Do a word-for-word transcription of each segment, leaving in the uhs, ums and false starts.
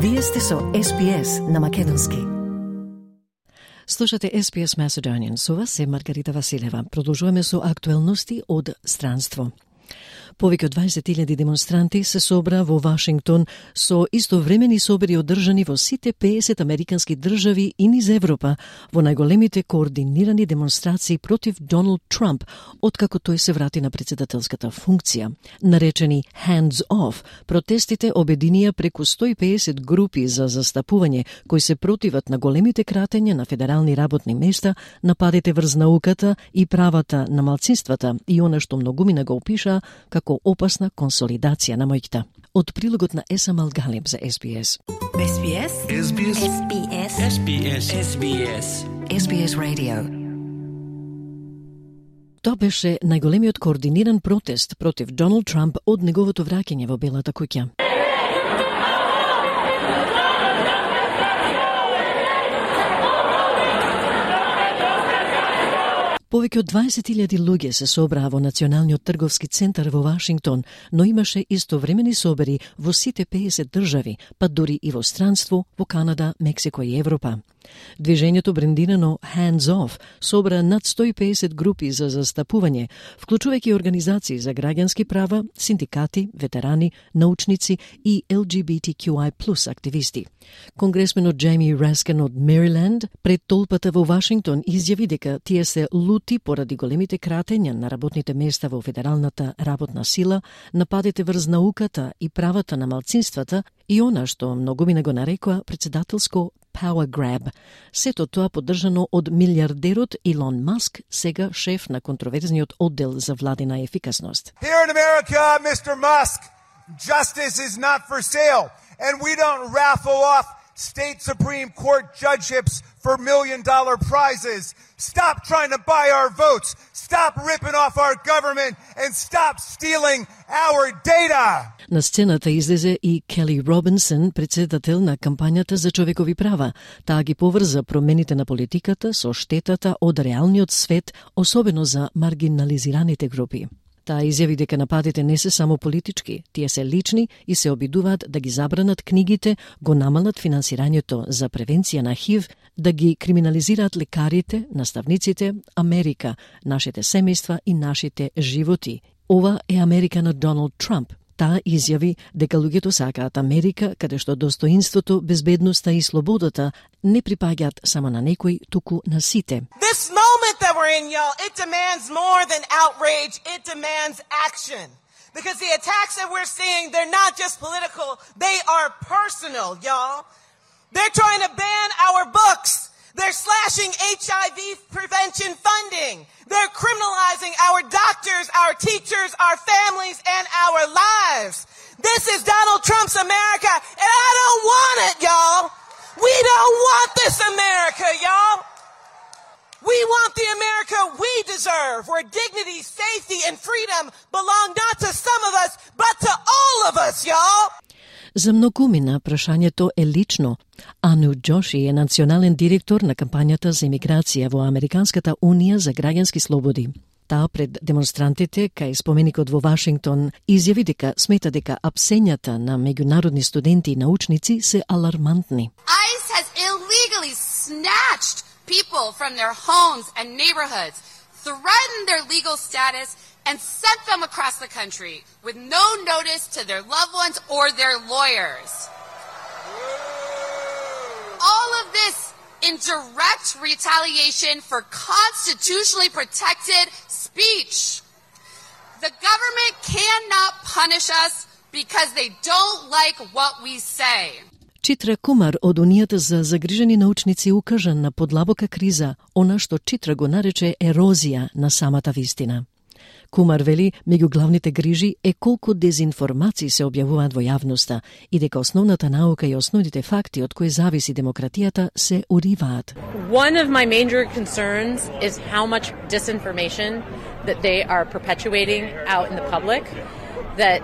Вие сте со Ес Би Ес на македонски. Слушате Ес Би Ес Macedonian. Со вас е Маргарита Василева. Продолжуваме со актуелности од странство. Повеќе од дваесет илјади демонстранти се собра во Вашингтон со истовремени собери одржани во сите пеесет американски држави и низ Европа во најголемите координирани демонстрации против Доналд Трамп откако тој се врати на председателската функција. Наречени Hands Off, протестите обединија преку сто и пеесет групи за застапување кои се противат на големите кратења на федерални работни места, нападите врз науката и правата на малцинствата и она што многумина го опишаа како опасна консолидација на моќта. Од прилогот на Есам Алгалиб за Ес Би Ес. Ес Би Ес. Ес Би Ес. Ес Би Ес. Ес Би Ес. Ес Би Ес. Ес Би Ес Radio. Тоа беше најголемиот координиран протест против Доналд Трамп од неговото враќање во Белата куќа. Повеќе од дваесет илјади луѓе се собраа во Националниот трговски центар во Вашингтон, но имаше истовремени собери во сите пеесет држави, па дури и во странство, во Канада, Мексико и Европа. Движењето брендирано Hands Off собра над сто и пеесет групи за застапување, вклучувајќи организации за граѓански права, синдикати, ветерани, научници и Ел Джи Би Ти Кју Ај плюс активисти. Конгресменот Џејми Раскен од Мериленд пред толпата во Вашингтон изјави дека тие се лути поради големите кратења на работните места во федералната работна сила, нападите врз науката и правата на малцинствата и она што многумина го нарекоа председателско power grab. Сето тоа поддржано од милиардерот Илон Маск, сега шеф на контроверзниот оддел за владина ефикасност. Here in America, Mister Musk, justice is not for sale, and we don't raffle off state Supreme Court judgeships for million dollar prizes. Stop trying to buy our votes. Stop ripping off our government and stop stealing our data. На сцената излезе и Кели Робинсон, председател на кампањата за човекови права. Таа ги поврза промените на политиката со штетата од реалниот свет, особено за маргинализираните групи. Таа изјави дека нападите не се само политички, тие се лични и се обидуваат да ги забранат книгите, го намалат финансирањето за превенција на ХИВ, да ги криминализираат лекарите, наставниците, Америка, нашите семејства и нашите животи. Ова е Америка на Доналд Трамп. Таа изјави дека луѓето сакаат Америка, каде што достоинството, безбедноста и слободата не припаѓаат само на некои, туку на сите. This moment that we're in, y'all, it demands more than outrage, it demands action. Because the attacks that we're seeing, they're not just political, they are personal, y'all. They're trying to ban our books. They're slashing H I V prevention funding. They're criminalizing our doctors, our teachers, our families, and our lives. This is Donald Trump's America, and I don't want it, y'all. We don't want this America, y'all. We want the America we deserve, where dignity, safety, and freedom belong not to some of us, but to all of us, y'all. За многумина прашањето е лично. Ану Џоши е национален директор на кампањата за имиграција во Американската унија за граѓански слободи. Таа пред демонстрантите кај споменикот во Вашингтон изјави дека смета дека апсењата на меѓународни студенти и научници се алармантни. ICE has illegally snatched people from their homes and neighborhoods, threatened their legal status, and sent them across the country with no notice to their loved ones or their lawyers. All of this in direct retaliation for constitutionally protected speech. The government cannot punish us because they don't like what we say. Читра Кумар од Унијата за загрижени научници укажа на подлабока криза, она што Читра го нарече ерозија на самата вистина. Кумар вели, меѓу главните грижи е колку дезинформации се објавуваат во јавноста и дека основната наука и основните факти од кои зависи демократијата се уриваат. One of my major concerns is how much disinformation that they are perpetuating out in the public, that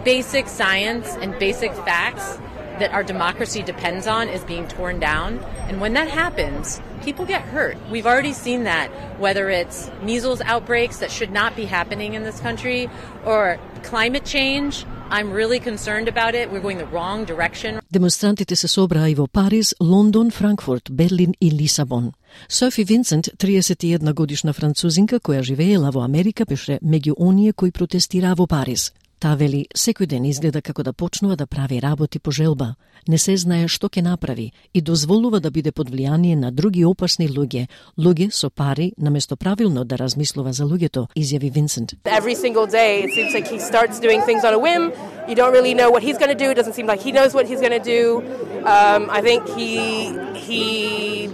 basic science and basic facts that our democracy depends on is being torn down. And when that happens, people get hurt. We've already seen that, whether it's measles outbreaks that should not be happening in this country, or climate change I'm really concerned about it. We're going the wrong direction. Демонстрантите се собраа и во Париз, Лондон, Франкфурт, Берлин и Лисабон. Софи Винсент, триесет и една годишна французинка која живеела во Америка, беше меѓу оние кои протестираа во Париз. Таа вели, секој ден изгледа како да почнува да прави работи по желба. Не се знае што ќе направи и дозволува да биде под влијание на други опасни луѓе, луѓе со пари, наместо правилно да размислува за луѓето, изјави Винсент. Every single day it seems like he starts doing things on a whim. You don't really know what he's going to do. It doesn't seem like he knows what he's going to do. Um, I think he he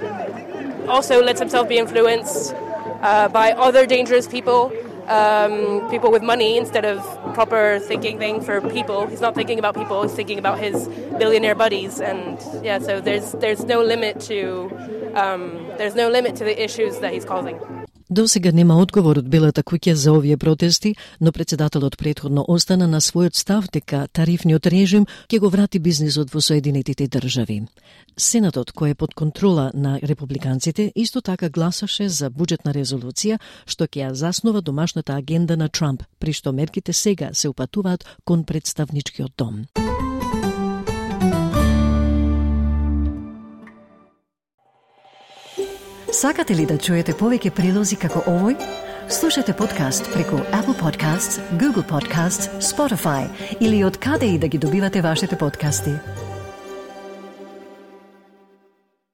also lets himself be influenced uh, by other dangerous people. Um, people with money instead of proper thinking thing for people. He's not thinking about people, he's thinking about his billionaire buddies, and yeah, so there's there's no limit to um, there's no limit to the issues that he's causing. До сега нема одговор од Белата куќа за овие протести, но председателот претходно остана на својот став дека тарифниот режим ќе го врати бизнисот во Соединетите држави. Сенатот, кој е под контрола на републиканците, исто така гласаше за буџетна резолуција што ќе ја заснова домашната агенда на Трамп, при што мерките сега се упатуваат кон представничкиот дом. Сакате ли да чуете повеќе прилози како овој? Слушате подкаст преку Apple Podcasts, Google Podcasts, Spotify или од каде и да ги добивате вашите подкасти.